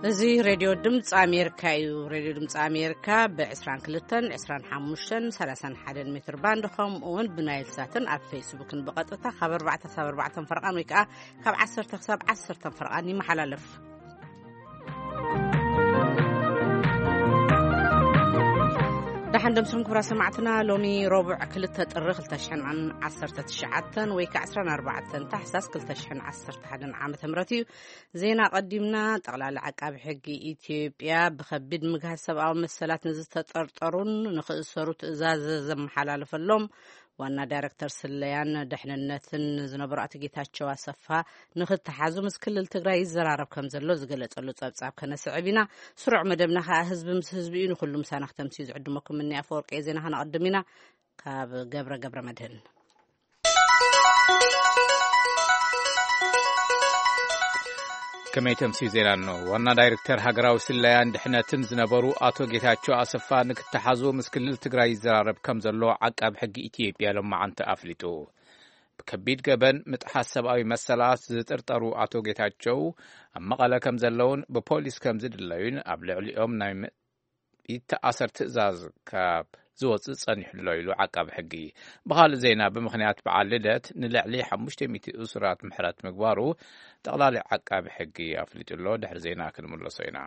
እዚ ሬድዮ ድምፂ ኣሜሪካ እዩ። ሬድዮ ድምፂ ኣሜሪካ ብ22፣ 25፣ 31 ሜትር ባንድ፣ ከምኡ እውን ብናይል ሳትን ኣብ ፌስቡክን ብቐጥታ ካብ 4 ክሳብ 4 ፈርቓን ወይ ከዓ ካብ 10 ክሳብ 10 ፈርቓን ይመሓላለፍ። ደሓን ደምስኹም ክቡራት ሰማዕትና። ሎሚ ረቡዕ 2 ጥሪ 2019 ወይ ከዓ 14 ታሕሳስ 2011 ዓመተ ምህረት እዩ። ዜና ቀዲምና። ጠቕላላ ዓቃቢ ሕጊ ኢትዮጵያ ብኸቢድ ምግሃስ ሰብኣዊ መሰላት ንዝተጠርጠሩን ንኽእሰሩ ትእዛዝ ዘመሓላለፈሎም ዋና ዳይሬክተር ስለያን ደሕንነትን ዝነበሩ ኣቶ ጌታቸው ኣሰፋ ንኽተሓዙ ምስ ክልል ትግራይ ይዘራረብ ከም ዘሎ ዝገለጸሉ ጸብጻብ ከነስዕብ ኢና። ስሩዕ መደብና ከኣ ህዝቢ ምስ ህዝቢ እዩ። ንኹሉ ምሳና ክተምስዩ ዝዕድመኩም እኒ ኣፈወርቂ ዜና ከነቐድም ኢና። ካብ ገብረ ገብረ መድህን። ከመይ ተምስዩ ዜና ኣሎ። ዋና ዳይሬክተር ሃገራዊ ስለያን ድሕነትን ዝነበሩ ኣቶ ጌታቸው ኣሰፋ ንክተሓዙ ምስ ክልል ትግራይ ይዘራረብ ከም ዘሎ ዓቃቢ ሕጊ ኢትዮጵያ ሎማዓንቲ ኣፍሊጡ። ብከቢድ ገበን ምጥሓስ ሰብኣዊ መሰላት ዝጥርጠሩ ኣቶ ጌታቸው ኣብ መቐለ ከም ዘለውን ብፖሊስ ከም ዝድለዩን ኣብ ልዕሊኦም ናይ ም-፣ ይተኣሰር ትእዛዝ ካብ ዝወፅእ ጸኒሑ ኣሎ ኢሉ ዓቃቢ ሕጊ። ብኻልእ ዜና፣ ብምኽንያት በዓል ልደት ንልዕሊ 500 እሱራት ምሕረት ምግባሩ ጠቕላሊ ዓቃቢ ሕጊ ኣፍሊጡ ኣሎ። ድሕሪ ዜና ክንምለሶ ኢና።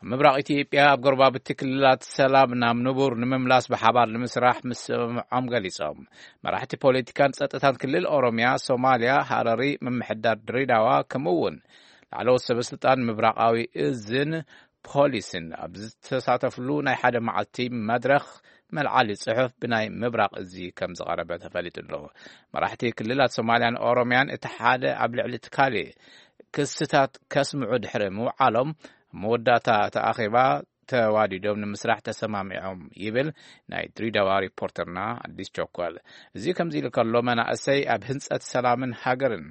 ኣብ ምብራቕ ኢትዮጵያ ኣብ ጎረባብቲ ክልላት ሰላም ናብ ንቡር ንምምላስ ብሓባር ንምስራሕ ምስምዖም ገሊጾም። መራሕቲ ፖለቲካን ጸጥታን ክልል ኦሮሚያ፣ ሶማሊያ፣ ሃረሪ፣ ምምሕዳር ድሬዳዋ፣ ከምኡ እውን ላዕለዎት ሰበ ስልጣን ምብራቓዊ እዝን ፖሊስን ኣብ ዝተሳተፍሉ ናይ ሓደ መዓልቲ መድረኽ፣ መልዓሊ ጽሑፍ ብናይ ምብራቕ እዚ ከም ዝቐረበ ተፈሊጡ ኣሎ። መራሕቲ ክልላት ሶማልያን ኦሮምያን እቲ ሓደ ኣብ ልዕሊ እቲ ካልእ ክስታት ከስምዑ ድሕሪ ምውዓሎም፣ ኣብ መወዳእታ እቲ ኣኼባ ተዋዲዶም ንምስራሕ ተሰማሚዖም ይብል ናይ ድሬዳዋ ሪፖርተርና ኣዲስ ቸኮል። እዚ ከምዚ ኢሉ ከሎ፣ መናእሰይ ኣብ ህንጸት ሰላምን ሃገርን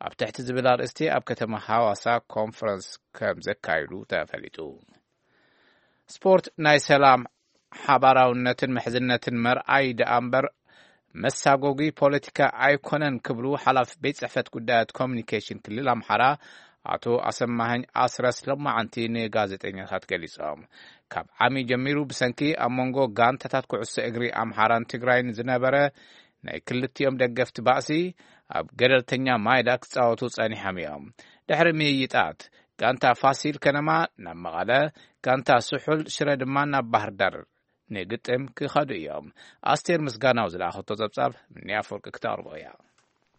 ኣብ ትሕቲ ዝብል ኣርእስቲ ኣብ ከተማ ሃዋሳ ኮንፈረንስ ከም ዘካይዱ ተፈሊጡ። ስፖርት ናይ ሰላም፣ ሓባራውነትን ምሕዝነትን መርኣይ ደኣ እምበር መሳጎጊ ፖለቲካ ኣይኮነን ክብሉ ሓላፊ ቤት ጽሕፈት ጉዳያት ኮሚኒኬሽን ክልል ኣምሓራ ኣቶ ኣሰማሃኝ ኣስረስ ሎማዓንቲ ንጋዜጠኛታት ገሊጾም። ካብ ዓሚ ጀሚሩ ብሰንኪ ኣብ መንጎ ጋንታታት ኩዕሶ እግሪ ኣምሓራን ትግራይን ዝነበረ ናይ ክልቲኦም ደገፍቲ ባእሲ ኣብ ገለልተኛ ማይዳ ክጻወቱ ጸኒሖም እዮም። ድሕሪ ምይይጣት ጋንታ ፋሲል ከነማ ናብ መቐለ፣ ጋንታ ስሑል ሽረ ድማ ናብ ባህር ዳር ንግጥም ክኸዱ እዮም። ኣስቴር ምስጋናው ዝለኣኸቶ ጸብጻብ ምንያ ኣፈወርቂ ክተቕርቦ እያ።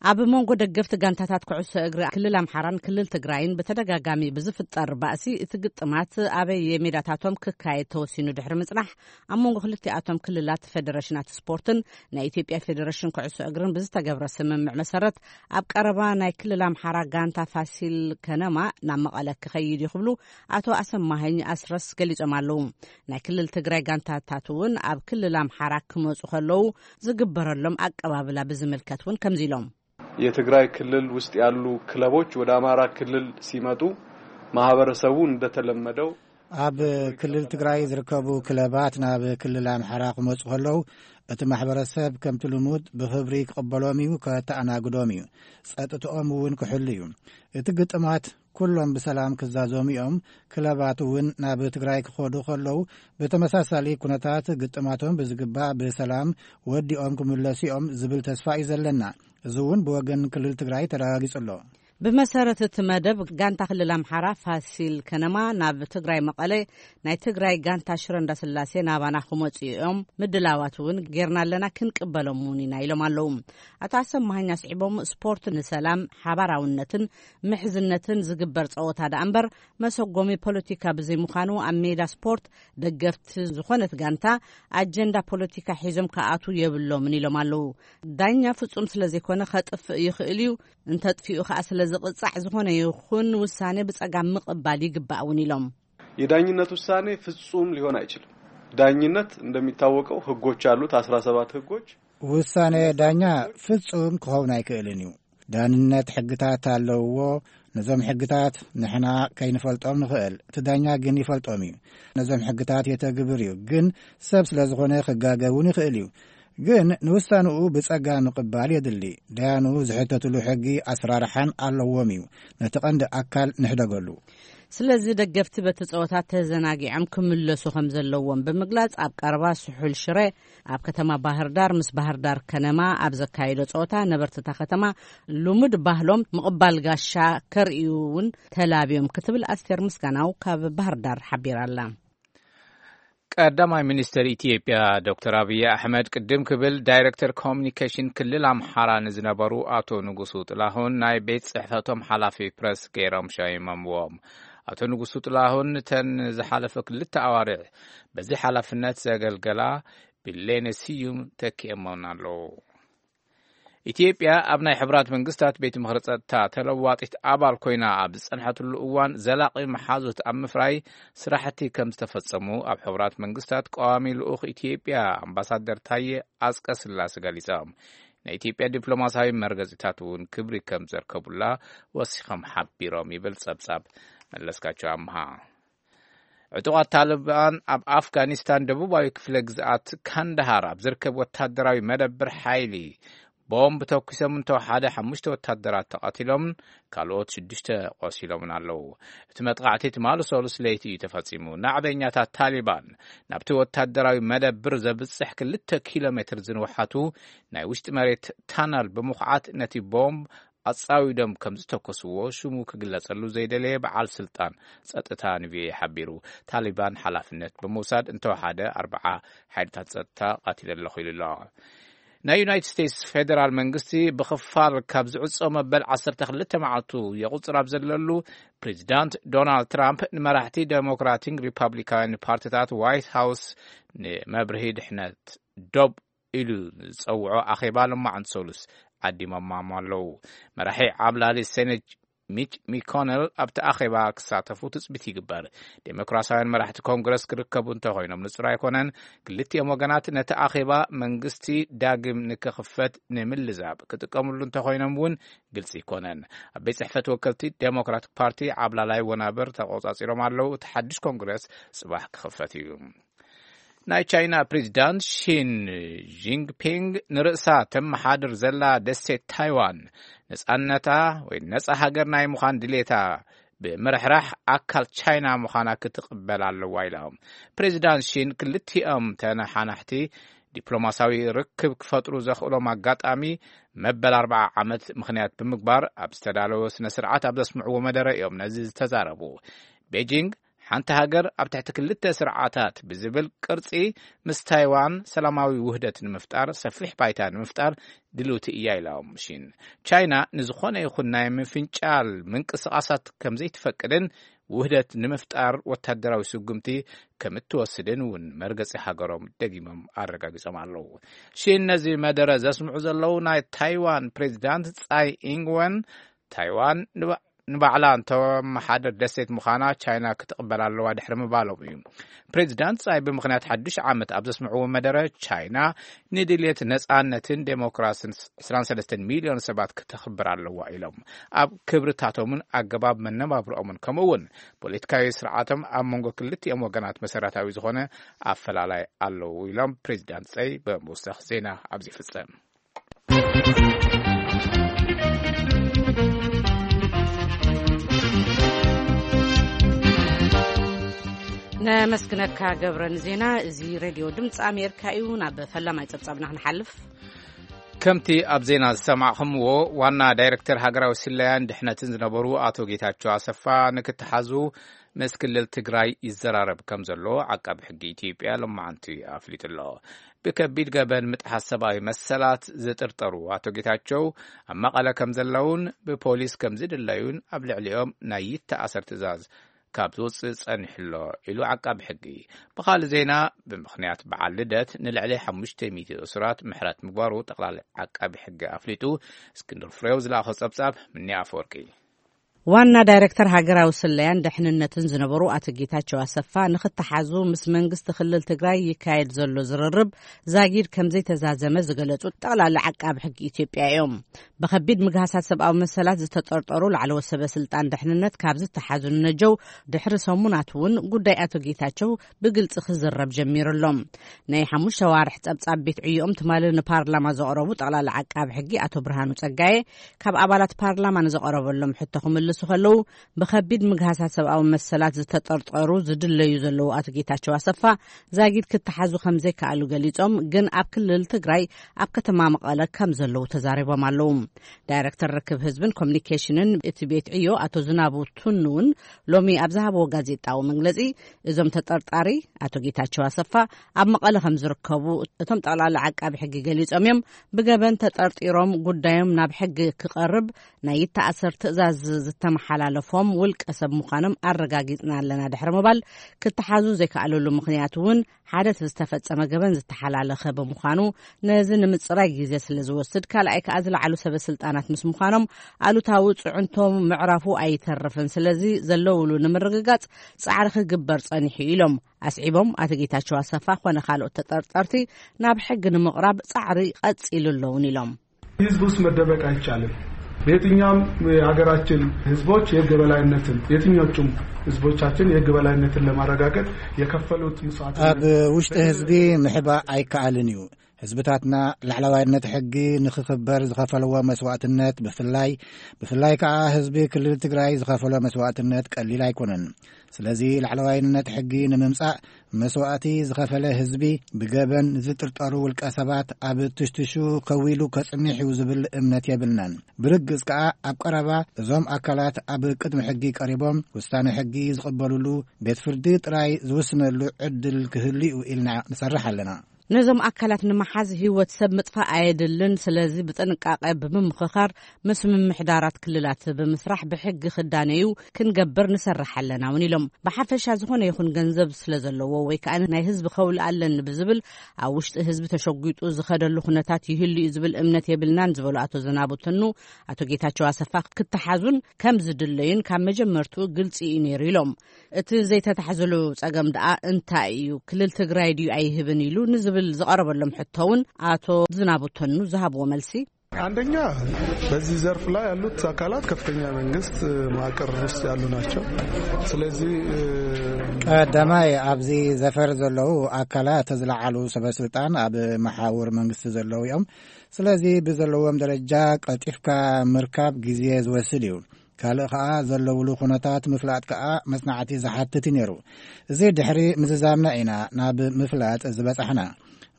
ኣብ መንጎ ደገፍቲ ጋንታታት ኩዕሶ እግሪ ክልል ኣምሓራን ክልል ትግራይን ብተደጋጋሚ ብዝፍጠር ባእሲ፣ እቲ ግጥማት ኣበይ ሜዳታቶም ክካየድ ተወሲኑ ድሕሪ ምጽናሕ፣ ኣብ መንጎ ክልቲኣቶም ክልላት ፌደሬሽናት ስፖርትን ናይ ኢትዮጵያ ፌደሬሽን ኩዕሶ እግርን ብዝተገብረ ስምምዕ መሰረት፣ ኣብ ቀረባ ናይ ክልል ኣምሓራ ጋንታ ፋሲል ከነማ ናብ መቐለ ክኸይድ እዩ ክብሉ ኣቶ ኣሰማሀኝ ኣስረስ ገሊጾም ኣለዉ። ናይ ክልል ትግራይ ጋንታታት እውን ኣብ ክልል ኣምሓራ ክመጹ ከለዉ ዝግበረሎም ኣቀባብላ ብዝምልከት እውን ከምዚ ኢሎም። የትግራይ ክልል ውስጥ ያሉ ክለቦች ወደ አማራ ክልል ሲመጡ ማህበረሰቡ እንደተለመደው ኣብ ክልል ትግራይ ዝርከቡ ክለባት ናብ ክልል ኣምሓራ ክመጹ ከለዉ፣ እቲ ማሕበረሰብ ከምቲ ልሙድ ብኽብሪ ክቕበሎም እዩ፣ ከተኣናግዶም እዩ። ጸጥትኦም እውን ክሕሉ እዩ። እቲ ግጥማት ኩሎም ብሰላም ክዛዘሙ እዮም። ክለባት እውን ናብ ትግራይ ክኸዱ ከለዉ፣ ብተመሳሳሊ ኩነታት ግጥማቶም ብዝግባእ ብሰላም ወዲኦም ክምለሱ እዮም ዝብል ተስፋ እዩ ዘለና። እዚ እውን ብወገን ክልል ትግራይ ተረጋጊጹ ኣሎ። ብመሰረት እቲ መደብ፣ ጋንታ ክልል ኣምሓራ ፋሲል ከነማ ናብ ትግራይ መቐለ፣ ናይ ትግራይ ጋንታ ሽረ እንዳስላሴ ናባና ክመጹ እዮም፣ ምድላዋት እውን ጌርና ኣለና፣ ክንቅበሎም እውን ኢና ኢሎም ኣለዉ። ኣቶ ኣሰማሃኝ ኣስዒቦም፣ ስፖርት ንሰላም፣ ሓባራውነትን ምሕዝነትን ዝግበር ጸወታ ደኣ እምበር መሰጎሚ ፖለቲካ ብዘይምዃኑ፣ ኣብ ሜዳ ስፖርት ደገፍቲ ዝኾነት ጋንታ ኣጀንዳ ፖለቲካ ሒዞም ክኣትዉ የብሎምን ኢሎም ኣለዉ። ዳኛ ፍጹም ስለ ዘይኮነ ከጥፍእ ይኽእል እዩ፣ እንተጥፊኡ ከኣ ስለ ዝቕጻዕ፣ ዝኾነ ይኹን ውሳኔ ብጸጋም ምቕባል ይግባእ እውን ኢሎም። የዳኝነት ውሳኔ ፍጹም ሊሆን አይችልም። ዳኝነት እንደሚታወቀው ህጎች አሉት፣ 17 ህጎች። ውሳኔ ዳኛ ፍጹም ክኸውን ኣይክእልን እዩ። ዳንነት ሕግታት ኣለውዎ። ነዞም ሕግታት ንሕና ከይንፈልጦም ንኽእል፣ እቲ ዳኛ ግን ይፈልጦም እዩ። ነዞም ሕግታት የተግብር እዩ፣ ግን ሰብ ስለ ዝኾነ ክጋገ እውን ይኽእል እዩ። ግን ንውሳንኡ ብጸጋ ምቕባል የድሊ። ደያኑ ዝሕተትሉ ሕጊ ኣስራርሓን ኣለዎም እዩ። ነቲ ቀንዲ ኣካል ንሕደገሉ። ስለዚ ደገፍቲ በቲ ጸወታ ተዘናጊዖም ክምለሱ ከም ዘለዎም ብምግላጽ፣ ኣብ ቀረባ ስሑል ሽረ ኣብ ከተማ ባህር ዳር ምስ ባህር ዳር ከነማ ኣብ ዘካየዶ ጸወታ፣ ነበርትታ ከተማ ልሙድ ባህሎም ምቕባል ጋሻ ከርእዩ እውን ተላብዮም ክትብል ኣስቴር ምስጋናው ካብ ባህር ዳር ሓቢራ ኣላ። ቀዳማይ ሚኒስትር ኢትዮጵያ ዶክተር ኣብይ ኣሕመድ ቅድም ክብል ዳይሬክተር ኮሚኒኬሽን ክልል ኣምሓራ ንዝነበሩ ኣቶ ንጉሱ ጥላሁን ናይ ቤት ጽሕፈቶም ሓላፊ ፕረስ ገይሮም ሸይሞምዎም። ኣቶ ንጉሱ ጥላሁን ንተን ዝሓለፈ ክልተ ኣዋርሕ በዚ ሓላፍነት ዘገልገላ ቢሌነ ስዩም ተኪኦሞን ኣለዉ። ኢትዮጵያ ኣብ ናይ ሕቡራት መንግስታት ቤት ምኽሪ ጸጥታ ተለዋጢት ኣባል ኮይና ኣብ ዝጸንሐትሉ እዋን፣ ዘላቒ መሓዙት ኣብ ምፍራይ ስራሕቲ ከም ዝተፈጸሙ ኣብ ሕቡራት መንግስታት ቀዋሚ ልኡኽ ኢትዮጵያ ኣምባሳደር ታየ ኣጽቀ ስላሴ ገሊጾም። ናይ ኢትዮጵያ ዲፕሎማሲያዊ መርገጺታት እውን ክብሪ ከም ዘርከቡላ ወሲኾም ሓቢሮም፣ ይብል ጸብጻብ መለስካቸው ኣምሃ። ዕጡቓት ታሊባን ኣብ ኣፍጋኒስታን ደቡባዊ ክፍለ ግዝኣት ካንዳሃር ኣብ ዝርከብ ወታደራዊ መደብር ሓይሊ ቦምብ ተኩሶም እንተወሓደ ሓሙሽተ ወታደራት ተቐቲሎም፣ ካልኦት ሽዱሽተ ቆሲሎምን ኣለዉ። እቲ መጥቓዕቲ ትማሊ ሰሉስ ለይቲ እዩ ተፈጺሙ። ናዕበኛታት ታሊባን ናብቲ ወታደራዊ መደብር ዘብጽሕ ክልተ ኪሎ ሜትር ዝንውሓቱ ናይ ውሽጢ መሬት ታነል ብምኹዓት ነቲ ቦምብ ኣጻዊዶም ከም ዝተኮስዎ ሽሙ ክግለጸሉ ዘይደለየ በዓል ስልጣን ጸጥታ ንቪኦኤ ሓቢሩ። ታሊባን ሓላፍነት ብምውሳድ እንተወሓደ ኣርብዓ ሓይልታት ጸጥታ ቀቲለ ኣለኹ ኢሉ ኣሎ። ናይ ዩናይትድ ስቴትስ ፌደራል መንግስቲ ብኽፋል ካብ ዝዕጾ መበል ዓሰርተ ክልተ መዓልቱ የቑጽር ኣብ ዘለሉ፣ ፕሬዚዳንት ዶናልድ ትራምፕ ንመራሕቲ ዴሞክራቲን ሪፐብሊካውያን ፓርቲታት ዋይት ሃውስ ንመብርሂ ድሕነት ዶብ ኢሉ ዝጸውዖ ኣኼባ ሎማዓንቲ ሰሉስ ዓዲሞም ኣለዉ። መራሒ ዓብላሊ ሴኔት ሚች ሚኮነል ኣብቲ ኣኼባ ክሳተፉ ትጽቢት ይግበር። ዴሞክራሲያውያን መራሕቲ ኮንግረስ ክርከቡ እንተኾይኖም ንጹር ኣይኮነን። ክልቲኦም ወገናት ነቲ ኣኼባ መንግስቲ ዳግም ንክኽፈት ንምልዛብ ክጥቀምሉ እንተኾይኖም እውን ግልጺ ኣይኮነን። ኣብ ቤት ጽሕፈት ወከልቲ ዴሞክራቲክ ፓርቲ ዓብላላይ ወናብር ተቖጻጺሮም ኣለዉ። እቲ ሓድሽ ኮንግረስ ጽባሕ ክኽፈት እዩ። ናይ ቻይና ፕሬዚዳንት ሺን ጂንፒንግ ንርእሳ ተመሓድር ዘላ ደሴት ታይዋን ነጻነታ ወይ ነጻ ሃገር ናይ ምዃን ድሌታ ብምርሕራሕ ኣካል ቻይና ምዃና ክትቕበል ኣለዋ ኢሎም። ፕሬዚዳንት ሺን ክልቲኦም ተነሓናሕቲ ዲፕሎማሲያዊ ርክብ ክፈጥሩ ዘኽእሎም ኣጋጣሚ መበል ኣርብዓ ዓመት ምኽንያት ብምግባር ኣብ ዝተዳለወ ስነ ስርዓት ኣብ ዘስምዕዎ መደረ እዮም ነዚ ዝተዛረቡ። ቤጂንግ ሓንቲ ሃገር ኣብ ትሕቲ ክልተ ስርዓታት ብዝብል ቅርጺ ምስ ታይዋን ሰላማዊ ውህደት ንምፍጣር፣ ሰፊሕ ባይታ ንምፍጣር ድልውቲ እያ ኢሎም ሺን። ቻይና ንዝኾነ ይኹን ናይ ምፍንጫል ምንቅስቓሳት ከም ዘይትፈቅድን ውህደት ንምፍጣር ወታደራዊ ስጉምቲ ከም እትወስድን እውን መርገጺ ሃገሮም ደጊሞም ኣረጋጊጾም ኣለዉ። ሺን ነዚ መደረ ዘስምዑ ዘለዉ ናይ ታይዋን ፕሬዚዳንት ጻይ ኢንግወን፣ ታይዋን ንባ- ንባዕላ እንተመሓደር ደሴት ምዃና ቻይና ክትቕበል ኣለዋ ድሕሪ ምባሎም እዩ። ፕሬዚዳንት ጻይ ብምኽንያት ሓድሽ ዓመት ኣብ ዘስምዕዎ መደረ፣ ቻይና ንድልየት ነጻነትን ዴሞክራስን ዕስራን ሰለስተን ሚልዮን ሰባት ክተኽብር ኣለዋ ኢሎም። ኣብ ክብርታቶምን ኣገባብ መነባብሮኦምን ከምኡ እውን ፖለቲካዊ ስርዓቶም ኣብ መንጎ ክልቲኦም ወገናት መሰረታዊ ዝኾነ ኣፈላላይ ኣለዉ ኢሎም ፕሬዚዳንት ጸይ ብምውሳኽ ዜና ኣብዚ ይፍጸም። ነመስግነካ ገብረ ንዜና። እዚ ሬድዮ ድምፂ ኣሜሪካ እዩ። ናብ ፈላማይ ጸብጻብና ክንሓልፍ። ከምቲ ኣብ ዜና ዝሰማዕኹምዎ፣ ዋና ዳይሬክተር ሃገራዊ ስለያን ድሕነትን ዝነበሩ ኣቶ ጌታቸው ኣሰፋ ንክተሓዙ ምስ ክልል ትግራይ ይዘራረብ ከም ዘሎ ዓቃቢ ሕጊ ኢትዮጵያ ሎማዓንቲ ኣፍሊጡ ኣሎ። ብከቢድ ገበን ምጥሓስ ሰብኣዊ መሰላት ዝጥርጠሩ ኣቶ ጌታቸው ኣብ መቐለ ከም ዘለውን ብፖሊስ ከም ዝድለዩን ኣብ ልዕሊኦም ናይ ይተኣሰር ትእዛዝ ካብ ዝወፅእ ጸኒሑ ኣሎ ኢሉ ዓቃቢ ሕጊ። ብኻልእ ዜና፣ ብምኽንያት በዓል ልደት ንልዕሊ ሓሙሽተ ሚእቲ እሱራት ምሕረት ምግባሩ ጠቕላሊ ዓቃቢ ሕጊ ኣፍሊጡ። እስክንድር ፍሬው ዝለኣኾ ጸብጻብ ምኒ ኣፈወርቂ። ዋና ዳይሬክተር ሃገራዊ ስለያን ደሕንነትን ዝነበሩ ኣቶ ጌታቸው ኣሰፋ፣ ንኽተሓዙ ምስ መንግስቲ ክልል ትግራይ ይካየድ ዘሎ ዝርርብ ዛጊድ ከም ዘይተዛዘመ ዝገለጹ ጠቕላሊ ዓቃቢ ሕጊ ኢትዮጵያ እዮም። ብኸቢድ ምግሃሳት ሰብኣዊ መሰላት ዝተጠርጠሩ ላዕለዎት ሰበ ስልጣን ደሕንነት ካብ ዝተሓዙ ንነጀው ድሕሪ ሰሙናት እውን ጉዳይ ኣቶ ጌታቸው ብግልጺ ክዝረብ ጀሚሩ ኣሎ። ናይ ሓሙሽተ ዋርሕ ጸብጻብ ቤት ዕዮኦም ትማሊ ንፓርላማ ዘቕረቡ ጠቕላሊ ዓቃቢ ሕጊ ኣቶ ብርሃኑ ጸጋየ፣ ካብ ኣባላት ፓርላማ ንዘቐረበሎም ሕቶ ክምልሱ ከለዉ፣ ብኸቢድ ምግሃሳት ሰብኣዊ መሰላት ዝተጠርጠሩ ዝድለዩ ዘለዉ ኣቶ ጌታቸው ኣሰፋ ዛጊድ ክተሓዙ ከም ዘይከኣሉ ገሊጾም፣ ግን ኣብ ክልል ትግራይ ኣብ ከተማ መቐለ ከም ዘለዉ ተዛሪቦም ኣለዉ። ዳይሬክተር ርክብ ህዝብን ኮሚኒኬሽንን እቲ ቤት ዕዮ ኣቶ ዝናቡ ቱኑ እውን ሎሚ ኣብ ዝሃብዎ ጋዜጣዊ መግለጺ፣ እዞም ተጠርጣሪ ኣቶ ጌታቸው ኣሰፋ ኣብ መቐለ ከም ዝርከቡ እቶም ጠቕላሊ ዓቃቢ ሕጊ ገሊጾም እዮም። ብገበን ተጠርጢሮም ጉዳዮም ናብ ሕጊ ክቐርብ ናይ ይተኣሰር ትእዛዝ ዝተመሓላለፎም ውልቀ ሰብ ምዃኖም ኣረጋጊጽና ኣለና ድሕሪ ምባል፣ ክተሓዙ ዘይከኣለሉ ምኽንያት እውን ሓደ እቲ ዝተፈጸመ ገበን ዝተሓላለኸ ብምዃኑ፣ ነዚ ንምጽራይ ግዜ ስለ ዝወስድ፣ ካልኣይ ከኣ ዝለዓሉ ሰበ ስልጣናት ምስ ምዃኖም ኣሉታዊ ጽዕንቶ ምዕራፉ ኣይተርፍን። ስለዚ ዘለውሉ ንምርግጋጽ ጻዕሪ ክግበር ጸኒሑ ኢሎም ኣስዒቦም። ኣቶ ጌታቸው ኣሰፋ ኮነ ካልኦት ተጠርጠርቲ ናብ ሕጊ ንምቕራብ ጻዕሪ ቀጺሉ ኣለውን ኢሎም። ህዝብ ውስጥ መደበቅ አይቻልም። በየትኛውም የሀገራችን ህዝቦች የህግ የበላይነትን የትኞቹም ህዝቦቻችን የህግ የበላይነትን ለማረጋገጥ የከፈሉት መስዋዕትነት ኣብ ውሽጢ ህዝቢ ምሕባእ ኣይከኣልን እዩ። ህዝብታትና ላዕለዋይነት ሕጊ ንኽኽበር ዝኸፈለዎ መስዋዕትነት ብፍላይ ብፍላይ ከኣ ህዝቢ ክልል ትግራይ ዝኸፈሎ መስዋዕትነት ቀሊል ኣይኮነን። ስለዚ ላዕለዋይነት ሕጊ ንምምጻእ መስዋእቲ ዝኸፈለ ህዝቢ ብገበን ዝጥርጠሩ ውልቀ ሰባት ኣብ ትሽትሹ ከዊሉ ከጽንሕ እዩ ዝብል እምነት የብልናን። ብርግጽ ከኣ ኣብ ቀረባ እዞም ኣካላት ኣብ ቅድሚ ሕጊ ቀሪቦም ውሳነ ሕጊ ዝቕበሉሉ ቤት ፍርዲ ጥራይ ዝውስነሉ ዕድል ክህሉ እዩ ኢልና ንሰርሕ ኣለና። ነዞም ኣካላት ንምሓዝ ህይወት ሰብ ምጥፋእ ኣየድልን። ስለዚ ብጥንቃቐ ብምምኽኻር ምስ ምምሕዳራት ክልላት ብምስራሕ ብሕጊ ክዳነዩ ክንገብር ንሰርሕ ኣለና እውን ኢሎም። ብሓፈሻ ዝኾነ ይኹን ገንዘብ ስለ ዘለዎ ወይ ከዓ ናይ ህዝቢ ከውል ኣለኒ ብዝብል ኣብ ውሽጢ ህዝቢ ተሸጒጡ ዝኸደሉ ኩነታት ይህሉ እዩ ዝብል እምነት የብልናን ዝበሉ ኣቶ ዝናቡ ትኑ፣ ኣቶ ጌታቸው ኣሰፋ ክተሓዙን ከም ዝድለዩን ካብ መጀመርትኡ ግልፂ እዩ ነይሩ ኢሎም። እቲ ዘይተታሕዘሉ ጸገም ደኣ እንታይ እዩ? ክልል ትግራይ ድዩ ኣይህብን ኢሉ ንዝብል ዝቐረበሎም ሕቶ እውን ኣቶ ዝናቡ ተኑ ዝሃብዎ መልሲ፣ አንደኛ በዚህ ዘርፍ ላይ ያሉት አካላት ከፍተኛ መንግስት መዋቅር ውስጥ ያሉ ናቸው። ስለዚህ ቀዳማይ ኣብዚ ዘፈር ዘለዉ ኣካላት ዝለዓሉ ሰበ ስልጣን ኣብ መሓውር መንግስቲ ዘለዉ እዮም። ስለዚ ብዘለዎም ደረጃ ቀልጢፍካ ምርካብ ግዜ ዝወስድ እዩ። ካልእ ከኣ ዘለውሉ ኩነታት ምፍላጥ ከኣ መጽናዕቲ ዝሓትት እዩ ነይሩ። እዚ ድሕሪ ምዝዛምና ኢና ናብ ምፍላጥ ዝበጻሕና።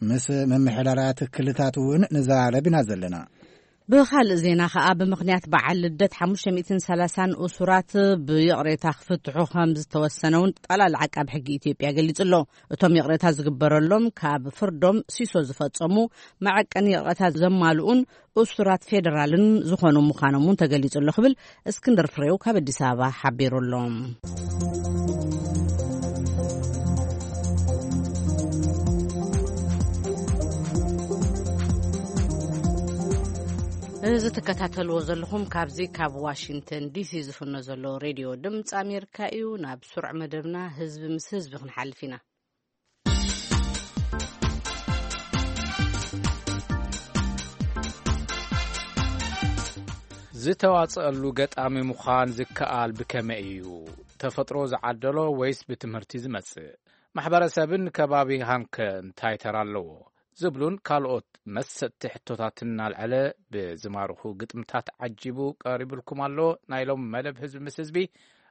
ምስ ምምሕዳራት ክልታት እውን ንዛረብ ኢና ዘለና። ብኻልእ ዜና ከኣ ብምኽንያት በዓል ልደት ሓሙሽተ ሚእትን ሰላሳን እሱራት ብይቕሬታ ክፍትሑ ከም ዝተወሰነ እውን ጠቕላሊ ዓቃብ ሕጊ ኢትዮጵያ ገሊጹ ኣሎ። እቶም ይቕሬታ ዝግበረሎም ካብ ፍርዶም ሲሶ ዝፈጸሙ መዐቀኒ ይቕሬታ ዘማልኡን እሱራት ፌደራልን ዝኾኑ ምዃኖም እውን ተገሊጹ ኣሎ ክብል እስክንድር ፍሬው ካብ ኣዲስ ኣበባ ሓቢሩ ኣሎ። እዚ ትከታተልዎ ዘለኹም ካብዚ ካብ ዋሽንግተን ዲሲ ዝፍኖ ዘሎ ሬድዮ ድምፂ ኣሜሪካ እዩ። ናብ ስሩዕ መደብና ህዝቢ ምስ ህዝቢ ክንሓልፍ ኢና። ዝተዋጽኣሉ ገጣሚ ምዃን ዝከኣል ብከመይ እዩ? ተፈጥሮ ዝዓደሎ ወይስ ብትምህርቲ ዝመጽእ? ማሕበረሰብን ከባቢኻንከ እንታይ ተራ ኣለዎ? ዝብሉን ካልኦት መሰጥቲ ሕቶታትን እናልዐለ ብዝማርኹ ግጥምታት ዓጂቡ ቀሪቡልኩም ኣሎ። ናይ ሎም መደብ ህዝቢ ምስ ህዝቢ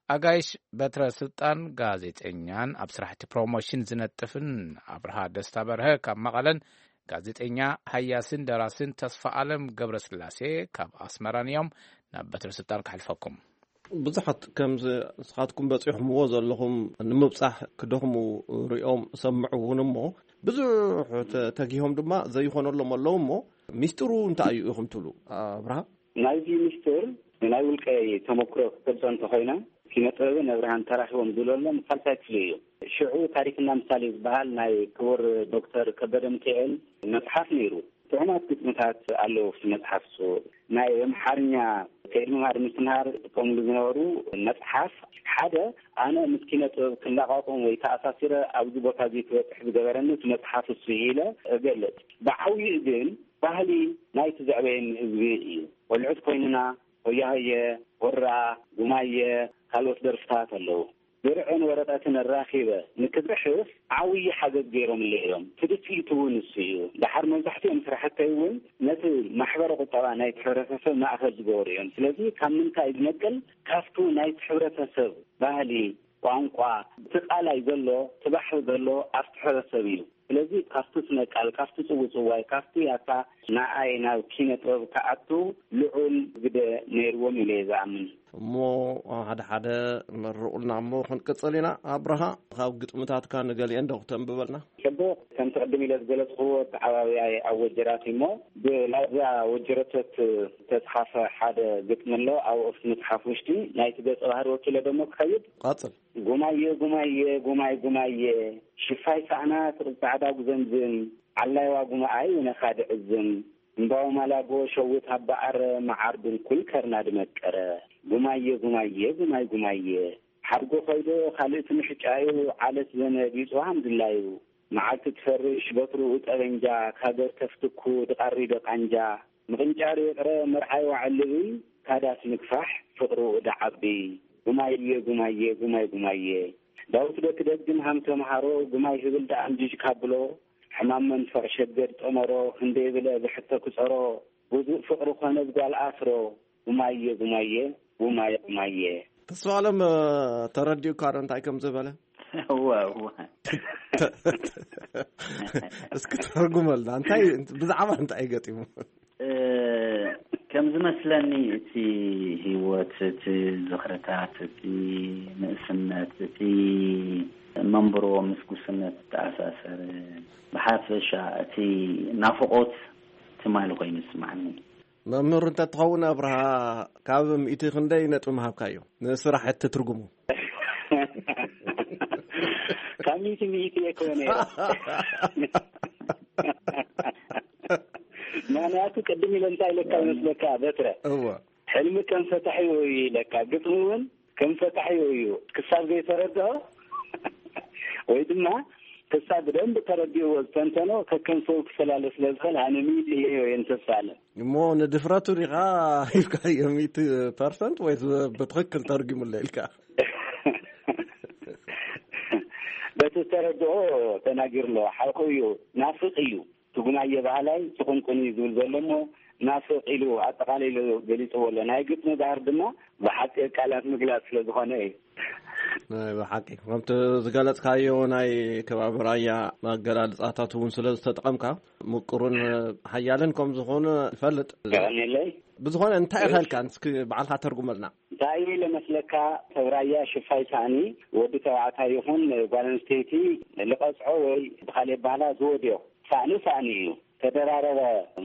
ኣጋይሽ በትረ ስልጣን ጋዜጠኛን ኣብ ስራሕቲ ፕሮሞሽን ዝነጥፍን ኣብርሃ ደስታ በርሀ ካብ መቐለን ጋዜጠኛ ሃያስን ደራስን ተስፋ ኣለም ገብረስላሴ ካብ ኣስመራን እዮም። ናብ በትረ ስልጣን ክሕልፈኩም። ብዙሓት ከምዚ ንስኻትኩም በፂሕምዎ ዘለኹም ንምብፃሕ ክደኽሙ ሪኦም ሰምዑ እውን እሞ ብዙሕ ተጊሆም ድማ ዘይኾነሎም ኣለዉ እሞ ሚስጢሩ እንታይ እዩ ኢኹም ትብሉ ኣብርሃ? ናይዚ ሚስጢር ናይ ውልቀይ ተመክሮ ክገልፆ እንተኾይነ ኪነ ጥበብን ኣብርሃን ተራኺቦም ዝብለሎም ሳልሳይ ክፍሊ እዩ። ሽዑ ታሪክና ምሳሌ ዝበሃል ናይ ክቡር ዶክተር ከበደ ሚካኤል መፅሓፍ ነይሩ። ጥዑማት ግጥምታት ኣለዉ ኣብቲ መፅሓፍ እሱ። ናይ ኣምሓርኛ ኤድመማር ምስትምሃር ዝጥቀምሉ ዝነበሩ መጽሓፍ ሓደ ኣነ ምስ ኪነ ጥበብ ክላቓቑም ወይ ተኣሳሲረ ኣብዚ ቦታ እዚ ክበጽሕ ዝገበረኒ እቲ መጽሓፍ እሱ እዩ ኢለ እገልጽ። ብዓብይኡ ግን ባህሊ ናይቲ ዘዕበየኒ ህዝቢ እዩ። ቆልዑት ኮይንና ሆያሆየ፣ ሆራ፣ ጉማየ፣ ካልኦት ደርፍታት ኣለዉ። ድርዕን ወረቐትን ኣራኺበ ንክጽሕፍ ዓብዪ ሓገዝ ገይሮምለይ እዮም። ትድፊእቱ እውን እሱ እዩ። ደሓር መብዛሕትኦም ስራሕተይ እውን ነቲ ማሕበረ ቁጠባ ናይቲ ሕብረተሰብ ማእኸል ዝገበሩ እዮም። ስለዚ ካብ ምንታይ ዝነቅል? ካብቱ ናይቲ ሕብረተሰብ ባህሊ፣ ቋንቋ፣ እቲ ቃላይ ዘሎ፣ እቲ ባሕሪ ዘሎ ኣብቲ ሕብረተሰብ እዩ። ስለዚ ካብቲ ስነ ቃል፣ ካብቲ ጽውጽዋይ፣ ካብቲ ያታ ንኣይ ናብ ኪነ ጥበብ ክኣቱ ልዑል ግደ ነይርዎም ኢለ እየ ዝኣምን። እሞ ሓደ ሓደ መርቑልና እሞ ክንቅጽል ኢና። ኣብርሃ፣ ካብ ግጥምታትካ ንገሊአን ዶ ክተንብበልና? ጽቡቕ፣ ከምቲ ቅድም ኢለ ዝገለጽክዎ ኣተዓባብያይ ኣብ ወጀራት እሞ ብላዛ ወጀረተት ዝተጽሓፈ ሓደ ግጥሚ ኣሎ። ኣብ ኦፍቲ መጽሓፍ ውሽጢ ናይቲ ገጸ ባህሪ ወኪለ ደሞ ክኸይድ። ቀጽል። ጉማየ ጉማየ ጉማይ ጉማየ ሽፋይ ሳዕና ትቕብ ጻዕዳ ጉዘምዝም ዓላይዋ ጉማኣይ ውነኻ ድዕዝም እምባው ማላጎ ሸውት ኣባኣረ መዓር ድንኩል ከርና ድመቀረ ጉማየ ጉማየ ጉማይ ጉማየ ሓድጎ ኮይዶ ካልእቲ ምሕጫዩ ዓለት ዘመድ ይጽዋሃም ድላዩ መዓልቲ ትፈርሽ በትርኡ ጠበንጃ ካገር ተፍትኩ ድቓሪ ደቓንጃ ምቕንጫር ይቕረ መርዓይ ዋዕልብይ ካዳስ ምግፋሕ ፍቕርኡ ደዓቢ ጉማየ ጉማየ ጉማይ ጉማየ ዳዊት ዶ ክደግም ሃም ተምሃሮ ጉማይ ህብል ደኣ ምጅጅ ካብሎ ሕማም መንፈቕ ሸገድ ጠመሮ ክንደይ ብለ ብሕቶ ክጸሮ ውዱእ ፍቕሪ ኮነ ብጓል ኣፍሮ ጉማየ ጉማየ ጉማየ ጉማየ። ተስፋ ኣለም ተረዲኡካ ዶ እንታይ ከም ዝበለ? እወ እወ እስኪ ተርጉመልና እንታይ ብዛዕባ እንታይ ገጢሙ? ከም ዝመስለኒ እቲ ህይወት፣ እቲ ዝኽርታት፣ እቲ ንእስነት፣ እቲ መንብሮ ምስ ጉስነት ዝተኣሳሰረ ብሓፈሻ እቲ ናፍቖት ትማሊ ኮይኑ ይስማዓኒ። መምህር እንተትኸውን ኣብርሃ ካብ ሚእቲ ክንደይ ነጥቢ ምሃብካዮ ንስራሕ እቲ ትርጉሙ? ካብ ሚእቲ ሚእቲ እየ ክኾነ እየ። ምክንያቱ ቅድም ኢለ እንታይ ኢለካ ይመስለካ በትረ? እወ። ሕልሚ ከም ፈታሒ እዩ ኢለካ፣ ግጥሚ እውን ከም ፈታሒ እዩ። ክሳብ ዘይተረድኦ ወይ ድማ ክሳብ ብደንብ ተረዲእዎ ዝተንተኖ ከከም ሰብ ክፈላለ ስለ ዝኽእል ኣነ ሚእቲ እየ እየ ንተስፋ ኣለ። እሞ ንድፍረቱ ዲኻ ሂብካዮ ሚእቲ ፐርሰንት ወይስ ብትኽክል ተርጉሙለይ ኢልካ? በቲ ዝተረድኦ ተናጊሩ ኣለዎ። ሓቁ እዩ፣ ናፍቕ እዩ። ትጉናየ ባህላይ ትቕንቁን እዩ ዝብል ዘሎ እሞ ናፍቕ ኢሉ ኣጠቓሊሉ ገሊፅዎ ኣሎ። ናይ ግጥሚ ባህር ድማ ብሓፂር ቃላት ምግላፅ ስለ ዝኾነ እዩ። ናይ ብሓቂ ከምቲ ዝገለፅካዮ ናይ ከባቢ ራያ ኣገላልፃታት እውን ስለ ዝተጠቐምካ ምቁርን ሓያልን ከም ዝኾነ ይፈልጥ። የቐንየለይ። ብዝኾነ እንታይ ኢኸልካ እስኪ ባዕልካ ተርጉመልና። እንታይ ኢለ መስለካ ሰብ ራያ ሽፋይ ሳእኒ ወዲ ተባዕታይ ይኹን ጓል ኣንስተይቲ ልቐፅዖ ወይ ብኻሊእ ኣባህላ ዝወድዮ ሳእኒ ሳእኒ እዩ። ተደራረበ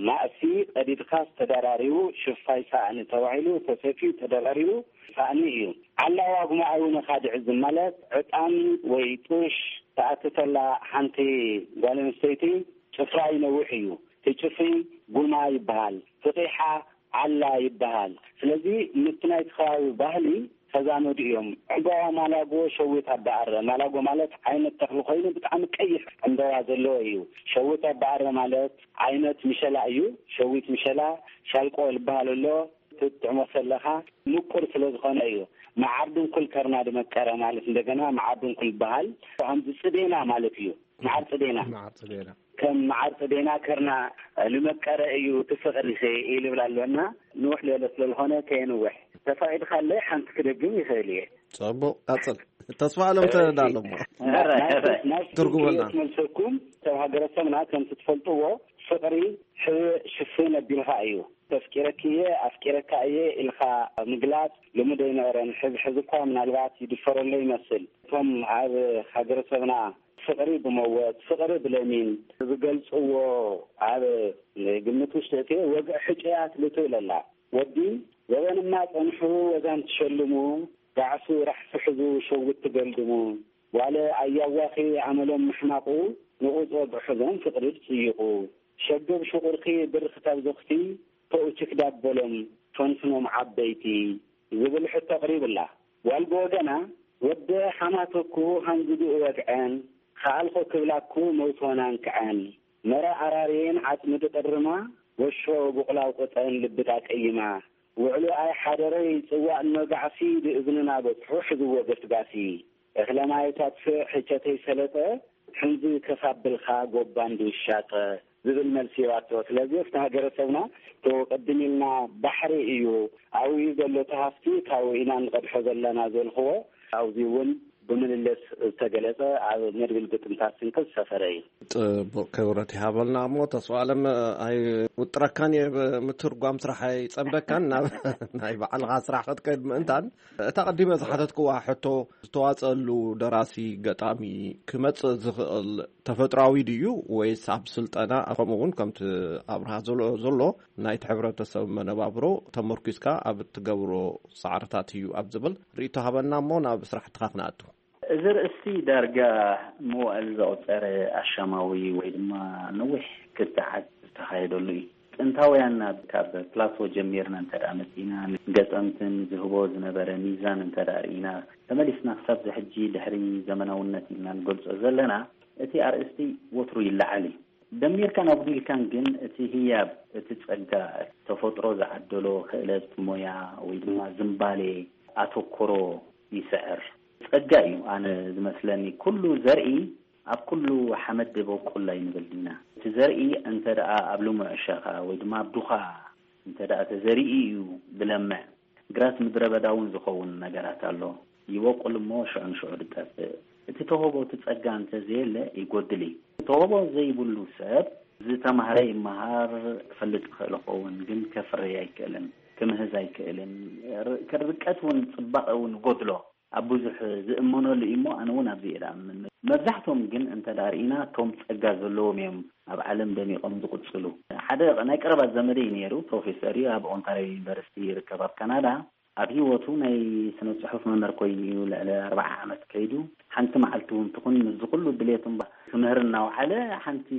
ማእሲ ቀዲድካስ ተደራሪቡ ሽፋይ ሳእኒ ተባሂሉ ተሰፍዩ ተደራሪቡ ሳእኒ እዩ። ዓላዋ ጉማኣዊ ነኻድዕ ዝማለት ዕጣን ወይ ጡሽ ተኣትተላ ሓንቲ ጓል ኣንስተይቲ ጭፍራ ይነውሕ እዩ። እቲ ጭፍሪ ጉማ ይበሃል። ፍቂሓ ዓላ ይበሃል። ስለዚ ምስቲ ናይቲ ከባቢ ባህሊ ተዛመዱ እዮም። ዕምባባ ማላጎ ሸዊት ኣባኣረ። ማላጎ ማለት ዓይነት ተኽሊ ኮይኑ ብጣዕሚ ቀይሕ ዕምባባ ዘለዎ እዩ። ሸዊት ኣባኣረ ማለት ዓይነት ምሸላ እዩ። ሸዊት ምሸላ ሻልቆ ዝበሃል ኣሎ። ትጥዕሞ ከለኻ ምቁር ስለ ዝኾነ እዩ። መዓር ድንኩል ከርና ድመቀረ ማለት እንደገና መዓር ድንኩል ይበሃል። ከምዚ ጽዴና ማለት እዩ። መዓር ጽዴና። መዓር ጽዴና። ከም መዓር ጽዴና ከርና ልመቀረ እዩ እቲ ፍቕሪ ኢሉ ይብል ኣሎ እና ንውሕ ዝበለ ስለ ዝኾነ ከየንውሕ ተፈቒድካለይ ሓንቲ ክደግም ይኽእል እየ። ጽቡቕ ቀጽል። ተስፋ ኣለም ተዳለሞ ትርጉመልና። መልሰኩም ሰብ ሃገረሰብና ከምቲ ትፈልጥዎ ፍቕሪ ሕብእ ሽፍን ኣቢልካ እዩ። ተፍቂረኪ እየ ኣፍቂረካ እየ ኢልካ ምግላጽ ልሙድ ኣይነበረን። ሕዚ ሕዚ እኳ ምናልባት ይድፈረሎ ይመስል። እቶም ኣብ ሃገረሰብና ፍቕሪ ብመወት ፍቕሪ ብለሚን ዝገልጽዎ ኣብ ግምት ውሽጢ እቲ ወግዒ ሕጨያት ልትብል ኣላ። ወዲ ዘበንማ ጸንሑ ወዛን ትሸልሙ ጋዕሱ ራሕሲ ሕዙ ሸዊት ትገልድሙ ጓለ ኣያዋኺ ኣመሎም ምሕማቑ ንቑጾ ብሕዞም ፍቕሪ ድጽይቑ ሸገብ ሽቑርኪ ብርኽታብ ዞኽቲ ተኡችክ ዳበሎም ፈንፍኖም ዓበይቲ ዝብል ሕቶ ኣቕሪብላ። ጓል ብወገና፣ ወደ ሓማተኩ ሃንግድኡ ወግዐን፣ ከኣልኮ ክብላኩ መውቶናን ክዐን፣ መረ ኣራርየን ዓጽሚ ድቕርማ፣ ወሾ ብቑላው ቅጠን ልብዳ ቀይማ፣ ውዕሉ ኣይ ሓደረይ ጽዋእ እኖ ጋዕሲ ድእዝንና በጽሑ ሕዝዎ ገስጋሲ፣ እኽለ ማይ ታጥፍእ ሕቸተይ ሰለጠ፣ ሕንዚ ከሳብልካ ጎባን ድውሻጠ ዝብል መልሲ ይዋቶ። ስለዚ ኣብቲ ሃገረሰብና እቶ ቅድም ኢልና ባሕሪ እዩ ኣብኡ ዘሎ እቲ ሃፍቲ ካብኡ ኢና ንቐድሖ ዘለና ዘልክዎ ኣብዚ እውን ብምልልስ ዝተገለጸ ኣብ መድብል ግጥምታት ስንቂ ዝሰፈረ እዩ። ጽቡቕ ክብረት ይሃበልና። እሞ ተስፋ ኣለም ኣይውጥረካን እየ፣ ብምትርጓም ስራሕ ኣይጸምደካን፣ ናብ ናይ ባዕልኻ ስራሕ ክትከይድ ምእንታን። እታ ቀዲመ ዝሓተትክዋ ሕቶ ዝተዋጸሉ ደራሲ ገጣሚ ክመጽእ ዝኽእል ተፈጥሯዊ ድዩ ወይስ ኣብ ስልጠና፣ ከምኡ እውን ከምቲ ኣብርሃ ዘሎ ዘሎ ናይቲ ሕብረተሰብ መነባብሮ ተመርኪዝካ ኣብ እትገብሮ ጻዕርታት እዩ ኣብ ዝብል ርእይቶ ሃበና እሞ ናብ ስራሕትኻ ክነኣቱ። እዚ ርእስቲ ዳርጋ መዋእል ዘቑጸረ ኣሻማዊ ወይ ድማ ነዊሕ ክትዓት ዝተኻየደሉ እዩ። ጥንታውያንና ካብ ፕላቶ ጀሚርና እንተ ደኣ መጺእና፣ ገጠምትን ዝህቦ ዝነበረ ሚዛን እንተ ደኣ ርኢና፣ ተመሊስና ክሳብ ዝሕጂ ድሕሪ ዘመናውነት ኢልና ንገልጾ ዘለና፣ እቲ ኣርእስቲ ወትሩ ይለዓል እዩ። ደሚርካን ኣጉዲልካን ግን እቲ ህያብ፣ እቲ ጸጋ፣ ተፈጥሮ ዝዓደሎ ክእለት፣ ሞያ ወይ ድማ ዝምባሌ፣ ኣተኮሮ ይስዕር። ጸጋ እዩ ኣነ ዝመስለኒ። ኩሉ ዘርኢ ኣብ ኩሉ ሓመድ በቁል ኣይንብል ዲና። እቲ ዘርኢ እንተ ደኣ ኣብ ልሙዕ ሸኻ ወይ ድማ ኣብ ዱኻ እንተ ደኣ ተዘሪኡ እዩ ዝለምዕ። ግራት ምድረ በዳ እውን ዝኸውን ነገራት ኣሎ። ይበቁል እሞ ሽዑ ንሽዑ ዝጠፍእ። እቲ ተውህቦ፣ እቲ ጸጋ እንተ ዘየለ ይጎድል እዩ። ተውህቦ ዘይብሉ ሰብ ዝተማህረ ይመሃር፣ ክፈልጥ ይኽእል ይኸውን፣ ግን ከፍርይ ኣይክእልን፣ ክምህዝ ኣይክእልን። ር-፣ ርቀት እውን ጽባቐ እውን ይጎድሎ። ኣብ ብዙሕ ዝእመነሉ እዩ እሞ፣ ኣነ እውን ኣብዚ እየ ዝኣምን። መብዛሕትኦም ግን እንተ ደኣ ርኢና፣ እቶም ጸጋ ዘለዎም እዮም ኣብ ዓለም ደሚቖም ዝቕጽሉ። ሓደ ናይ ቀረባ ዘመደይ ነይሩ፣ ፕሮፌሰር እዩ፣ ኣብ ኦንታርዮ ዩኒቨርሲቲ ይርከብ ኣብ ካናዳ። ኣብ ህይወቱ ናይ ስነ ጽሑፍ መምህር ኮይኑ እዩ ልዕሊ ኣርብዓ ዓመት ከይዱ። ሓንቲ መዓልቲ እውን ትኹን ምስዚ ኩሉ ድሌት እምባ ክምህር እናውዓለ ሓንቲ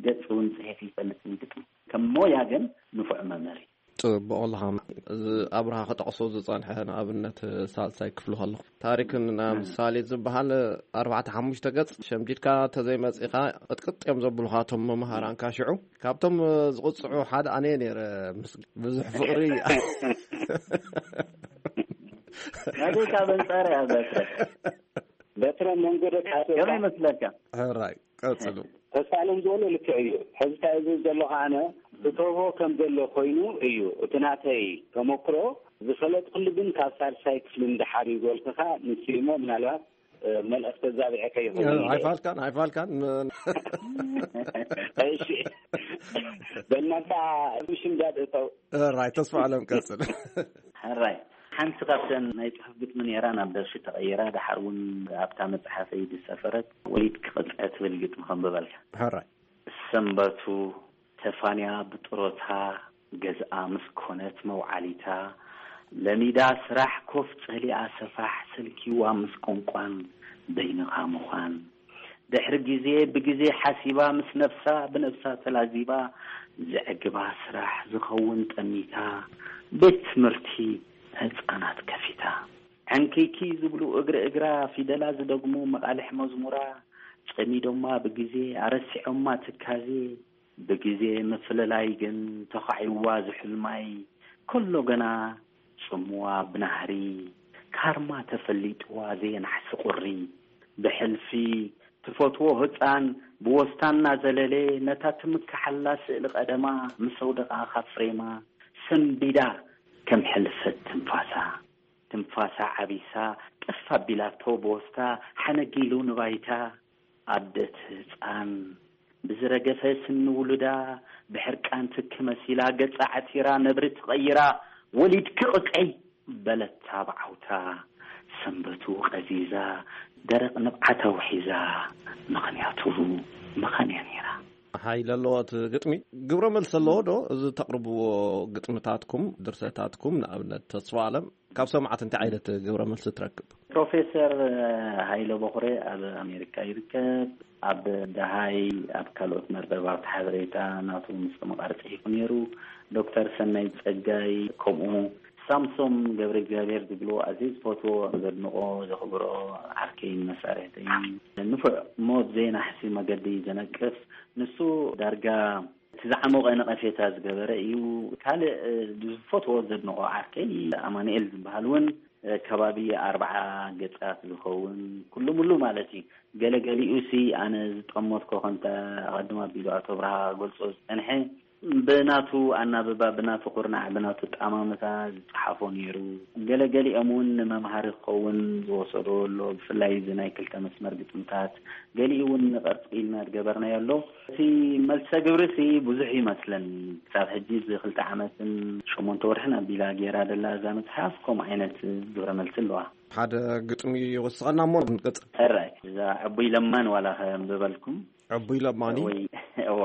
ገጽ እውን ጽሒፉ ይፈልጥ እዩ ግጥሚ። ከም ሞያ ግን ንፉዕ መምህር እዩ። ጽቡቕ ኣለኻ። እዚ ኣብርሃ ክጠቕሶ ዝጸንሐ ንኣብነት ሳልሳይ ክፍሊ ከለኹ ታሪክን ምሳሌ ዝበሃል ኣርባዕተ ሓሙሽተ ገጽ ሸምዲድካ ተዘይመጺኻ ቅጥቅጥ እዮም ዘብሉኻ እቶም መምሃራንካ። ሽዑ ካብቶም ዝቕጽዑ ሓደ ኣነ ነይረ። ምስ ብዙሕ ፍቕሪ ናገይ ካብ ኣንጻር እያ በትረ። በትረ መንጎ ደቂ ኣትወካ። ከመይ ይመስለካ? ሕራይ ቀጽሉ። ተስፋ ኣለም ዝበሎ ልክዕ እዩ። ሕዚ እንታይ ዝብል ዘለኹ ኣነ፣ እተውሆ ከም ዘሎ ኮይኑ እዩ። እቲ ናተይ ተመክሮ ዝፈለጥኩሉ ግን ካብ ሳልሳይ ክፍሊ ንደሓር እዩ ዝበልኩኻ። ንሱ እሞ ምናልባት፣ እ፣ መልእኽቲ ኣዛቢዐካ ይኸውን ኢለ እየ። ኣይፋልካን፣ ኣይፋልካን። እሺ። በእናትካ ምሽምዳድ እተው። ሕራይ ተስፋ ኣለም ቀጽል። ሕራይ ሓንቲ ካብተን ናይ ጽሑፍ ግጥሚ ነይራ ናብ ደርፊ ተቐይራ፣ ደሓር እውን ኣብታ መጽሓፈይ ዝሰፈረት ወሊድ ክቕጽዐ ትብል ግጥሚ ከንብበልካ። ሕራይ። ሰንበቱ ተፋንያ ብጥሮታ ገዝኣ ምስ ኮነት መውዓሊታ፣ ለሚዳ ስራሕ ኮፍ ጸሊኣ ሰፋሕ ሰልኪዋ ምስ ቋንቋን በይንኻ ምዃን። ድሕሪ ግዜ ብግዜ ሓሲባ ምስ ነብሳ ብነብሳ ተላዚባ፣ ዘዕግባ ስራሕ ዝኸውን ጠሚታ፣ ቤት ትምህርቲ ህጻናት ከፊታ። ዕንክይክይ ዝብሉ እግሪ እግራ ፊደላ ዝደግሙ መቓልሕ መዝሙራ፣ ጸሚዶማ ብግዜ ኣረሲዖማ ትካዜ፣ ብግዜ ምፍልላይ ግን ተዃዒዋ ዝሑል ማይ፣ ከሎ ገና ጽምዋ ብናህሪ፣ ካርማ ተፈሊጥዋ ዘየናሕሲ ቁሪ። ብሕልፊ ትፈትዎ ህጻን ብወስታ እናዘለለ፣ ነታ ትምክሓላ ስእሊ ቀደማ ምስ ኣውደቓ ካብ ፍሬማ፣ ሰንቢዳ ከም ሕልፈት ትንፋሳ። ትንፋሳ ዓቢሳ ጠፍ ኣቢላቶ ብወስታ ሓነጊሉ ንባይታ። ኣደት ህጻን ብዝረገፈ ስኒ ውሉዳ ብሕርቃን ትኪ መሲላ ገጻ ዓቲራ ነብሪ ትቐይራ ወሊድኪ ቅጽዒ በለታ ብዓውታ። ሰንበቱ ቀዚዛ ደረቕ ንብዓታ ውሒዛ ምኽንያቱ ምኻን እያ ነይራ። ሓይሊ ኣለዎ እቲ ግጥሚ። ግብረ መልሲ ኣለዎ ዶ? እዚ ተቕርብዎ ግጥምታትኩም፣ ድርሰታትኩም፣ ንኣብነት ተስፋ ኣለም፣ ካብ ሰማዕቲ እንታይ ዓይነት ግብረ መልሲ ትረክብ? ፕሮፌሰር ሃይለ በኹረ ኣብ ኣሜሪካ ይርከብ። ኣብ ደሃይ ኣብ ካልኦት መርበባት ሓበሬታ ናቱ ምስ ተመቓሪ ጽሒፉ ነይሩ። ዶክተር ሰናይ ጸጋይ ከምኡ። ሳምሶም ገብረ እግዚኣብሔር ዝብሎ ኣዝየ ዝፈትዎ፣ ዘድንቆ፣ ዘኽብሮ ዓርከይን መሳርሕተይን፣ ንፉዕ ሞት ዘይናሕሲ መገዲ ዘነቅፍ፣ ንሱ ዳርጋ እቲ ዝዓሞቐ ነቐፌታ ዝገበረ እዩ። ካልእ ዝፈትዎ ዘድንቆ ዓርከይ ኣማኑኤል ዝበሃል እውን ከባቢ ኣርብዓ ገጻት ዝኸውን ኩሉ ሙሉ ማለት እዩ። ገለገሊኡ ሲ ኣነ ዝጠመትኮ ከምቲ ኣቐድም ኣቢሉ ኣቶ ብርሃ ክገልጾ ዝጸንሐ ብናቱ ኣናብባ፣ ብናቱ ኩርናዕ፣ ብናቱ ጠማምታ ዝጸሓፎ ነይሩ። ገለገሊኦም እውን ንመምሃሪ ክኸውን ዝወሰዶ ኣሎ። ብፍላይ እዚ ናይ ክልተ መስመር ግጥምታት፣ ገሊኡ እውን ንቐርጺ ኢልና ዝገበርናዮ ኣሎ። እቲ መልሰ ግብሪ ሲ ብዙሕ ይመስለኒ። ክሳብ ሕጂ እዚ ክልተ ዓመትን ሸሞንተ ወርሕን ኣቢላ ገይራ ደላ እዛ መጽሓፍ ከምኡ ዓይነት ግብረ መልሲ ኣለዋ። ሓደ ግጥሚ ይወስኸና እሞ ንቀጽል። ሕራይ፣ እዛ ዕቡይ ለማን ዋላ ከንብበልኩም። ዕቡይ ለማኒ? ወይ፣ እዋ፣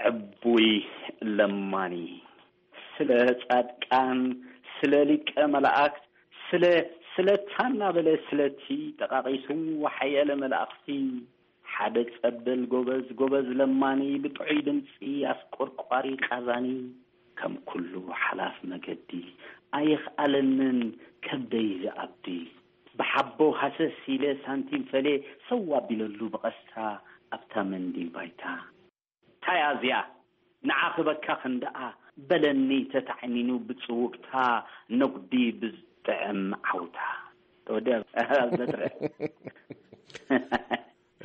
ዕቡይ ለማኒ። ስለ ጻድቃን፣ ስለ ሊቀ መላእክት፣ ስለ፣ ስለ ታና በለ፣ ስለቲ ጠቃቂሱ ሓያለ መላእኽቲ፣ ሓደ ጸበል ጎበዝ፣ ጎበዝ ለማኒ፣ ብጥዑይ ድምጺ ኣስቆርቋሪ ቃዛኒ፣ ከም ኩሉ ሓላፍ መገዲ፣ ኣየኽኣለንን ከብደይ ዝኣብዲ። ብሓቦ ሃሰስ ኢለ ሳንቲም ፈሌ፣ ሰው ኣቢለሉ ብቐስታ ኣብታ መንዲል ባይታ። ታያ እዚኣ ንዓ ክበካ ክንደኣ በለኒ ተታዕኒኑ ብጽውግታ ነጉዲ ብዝጥዕም ዓውታ። ተወዲኣ ኣብ ዘጥረ።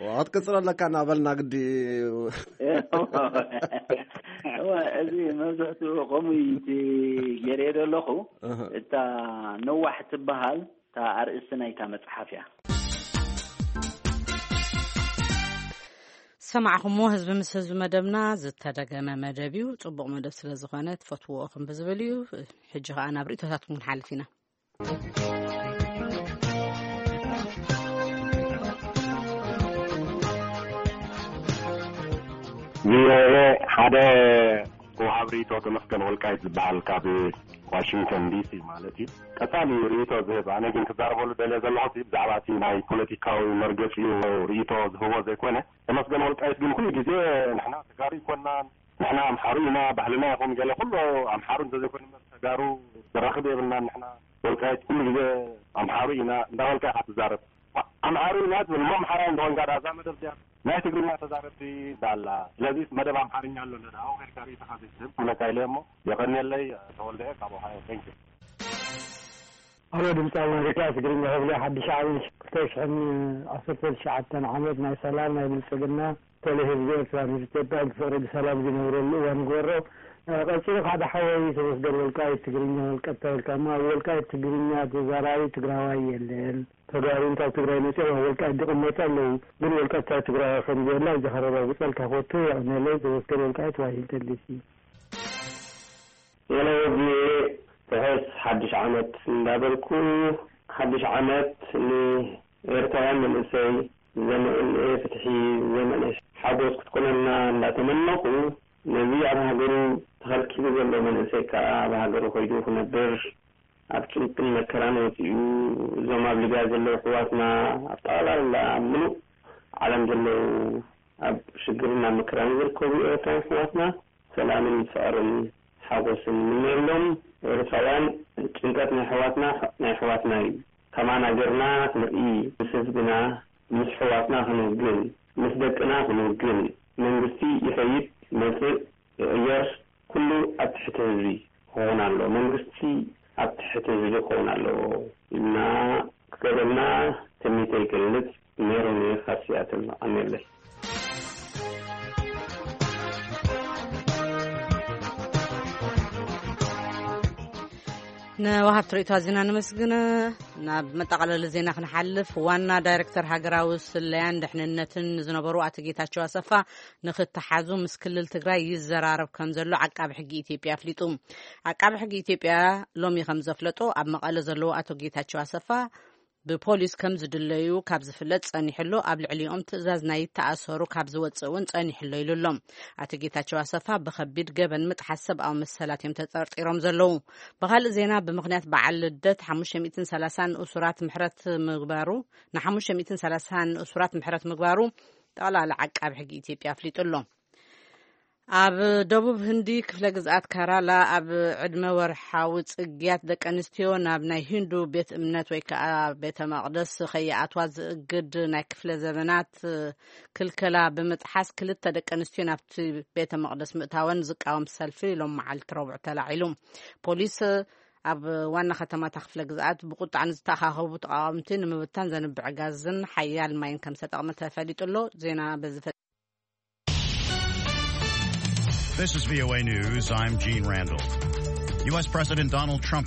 ዋ፣ ክትቅጽሎ ኣለካ እናበልና ግዲ። እዋ፣ እዚ መብዝሕትኡ ከምኡ እዩ እቲ ገይረዮ ዘለኹ። እህ። እታ ነዋሕ ትበሃል እታ ኣርእስቲ ናይታ መጽሓፍ እያ። ሰማዕኹሞ፣ ህዝቢ ምስ ህዝቢ መደብና ዝተደገመ መደብ እዩ። ጽቡቕ መደብ ስለ ዝኾነ ትፈትውዎ ኢኹም ብዝብል እዩ። ሕጂ ኸኣ ናብ ርእይቶታትኩም ክንሓልፍ ኢና። ቪኦኤ ሓደ ወሃብ ርእይቶ ተመስገን ወልቃይት ዝበሃል ካብ ዋሽንግተን ዲሲ ማለት እዩ። ቀጻሊ ርእይቶ ዝህብ፣ ኣነ ግን ክዛረበሉ ደልየ ዘለኹ እቲ ብዛዕባ እቲ ናይ ፖለቲካዊ መርገጺኡ ርእይቶ ዝህቦ ዘይኮነ፣ ተመስገን ወልቃይት ግን ኩሉ ግዜ ንሕና ተጋሩ ኣይኮናን፣ ንሕና ኣምሓሩ ኢና፣ ባህልና ይኹን ገለ ኩሉ ኣምሓሩ እንተዘይኮይኑ እምበር ተጋሩ ዘራኽብ የብልናን። ንሕና ወልቃይት ኩሉ ግዜ ኣምሓሩ ኢና እንዳበልካ ኢኻ ትዛረብ። ኣምሓሩ ኢና ትብል እሞ ኣምሓራይ እንደኾንካ ዳ እዛ መደብ እዚኣ ናይ ትግርኛ ተዛረብቲ እንዳላ። ስለዚ መደብ ኣምሓርኛ ኣሎ እንደ ኣብኡ ከድካ ርእይቶኻ ዘይትህብ ክብለካ ኢለ እሞ የቐንየለይ። ተወልደ ካብ ኦሃዮ። Thank you። ኣሎ ድምፂ ኣሜሪካ ትግርኛ ክፍሊ ሓድሽ ዓመት ክልተ ሽሕን ዓሰርተ ትሽዓተን ዓመት ናይ ሰላም ናይ ብልፅግና ተለይ ህዝቢ ኤርትራ ንህዝቢ ኢትዮጵያ ብፍቕሪ ብሰላም ዝነብረሉ እዋን ንግበሮ። እ፣ ቀጺሉ ሓደ ሓወይ ተመስገን ወልቃይት ትግርኛ ወልቀታ ኢልካ እሞ ኣብ ወልቃይት ትግርኛ ተዛራቢ ትግራዋይ የለን። ተጋሩ ካብ ትግራይ መጺኦም ኣብ ወልቃይት ዝቕመጡ ኣለዉ። ግን ወልቀታ ትግራዋይ ከም ዘየላ እዚኻ ረጋግጸልካ ፈቱ። የቐንየለይ። ተመስገን ወልቃይት ዋሽንግተን ዲሲ። ሄሎ ቪኦኤ፣ ርሑስ ሓድሽ ዓመት እንዳበልኩ፣ ሓድሽ ዓመት ንኤርትራውያን መንእሰይ ዘመነ ፍትሒ፣ ዘመነ ሓጎስ ክትኮነልና እንዳተመነኹ፣ ነዚ ኣብ ሃገሩ ተኸልኪሉ ዘሎ መንእሰይ ከኣ ኣብ ሃገሩ ከይዱ ክነብር፣ ኣብ ጭንቅን መከራን ወጺኡ፣ እዞም ኣብ ሊብያ ዘለዉ ኣሕዋትና፣ ኣብ ጠቕላላ ኣብ ምሉእ ዓለም ዘለዉ ኣብ ሽግርን ኣብ መከራን ዝርከቡ ኤርትራውያን ኣሕዋትና ሰላምን ፍቕርን ሓጎስን ንምነየሎም። ኤርትራውያን ጭንቀት ናይ ኣሕዋትና ናይ ኣሕዋትና እዩ። ከማና ጌርና ክንርኢ፣ ምስ ህዝብና ምስ ኣሕዋትና ክንውግን፣ ምስ ደቅና ክንውግን። መንግስቲ ይኸይድ ይመጽእ ይቕየር፣ ኩሉ ኣብ ትሕቲ ህዝቢ ክኸውን ኣለዎ። መንግስቲ ኣብ ትሕቲ ህዝቢ ክኸውን ኣለዎ ኢልና ክገብረልና ትምኒተይ ይገልጽ። ሜሮን እየ ካብ ሲያትል። ኣሜለይ። ንወሃብቲ ርእይቶ ኣዚና ነመስግን። ናብ መጠቓለሊ ዜና ክንሓልፍ፣ ዋና ዳይሬክተር ሃገራዊ ስለያን ድሕንነትን ዝነበሩ ኣቶ ጌታቸው ኣሰፋ ንኽተሓዙ ምስ ክልል ትግራይ ይዘራረብ ከም ዘሎ ዓቃቢ ሕጊ ኢትዮጵያ ኣፍሊጡ። ዓቃቢ ሕጊ ኢትዮጵያ ሎሚ ከም ዘፍለጦ፣ ኣብ መቐለ ዘለዉ ኣቶ ጌታቸው ኣሰፋ ብፖሊስ ከም ዝድለዩ ካብ ዝፍለጥ ጸኒሕሎ፣ ኣብ ልዕሊኦም ትእዛዝ ናይ ተኣሰሩ ካብ ዝወጽእ እውን ጸኒሕሎ ኢሉ ኣሎ። ኣቶ ጌታቸው ኣሰፋ ብኸቢድ ገበን ምጥሓስ ሰብኣዊ መሰላት እዮም ተጠርጢሮም ዘለዉ። ብኻልእ ዜና፣ ብምኽንያት በዓል ልደት ሓሙሽተ ሚእትን ሰላሳን ንእሱራት ምሕረት ምግባሩ፣ ን ሓሙሽተ ሚእትን ሰላሳን ንእሱራት ምሕረት ምግባሩ ጠቕላላ ዓቃቢ ሕጊ ኢትዮጵያ ኣፍሊጡ ኣሎ። ኣብ ደቡብ ህንዲ ክፍለ ግዝኣት ካራላ ኣብ ዕድመ ወርሓዊ ጽግያት ደቂ ኣንስትዮ ናብ ናይ ሂንዱ ቤት እምነት ወይ ከዓ ቤተ መቕደስ ከይኣትዋ ዝእግድ ናይ ክፍለ ዘመናት ክልከላ ብምጥሓስ ክልተ ደቂ ኣንስትዮ ናብቲ ቤተ መቕደስ ምእታወን ዝቃወም ሰልፊ ሎም መዓልቲ ረቡዕ ተላዒሉ። ፖሊስ ኣብ ዋና ከተማታ ክፍለ ግዝኣት ብቁጣዕ ንዝተኣኻኸቡ ተቃወምቲ ንምብታን ዘንብዕ ጋዝን ሓያል ማይን ከም ዝተጠቕመ ተፈሊጡ ኣሎ። ዜና በዚ This is V O A News. I'm Gene Randall. U S President Donald Trump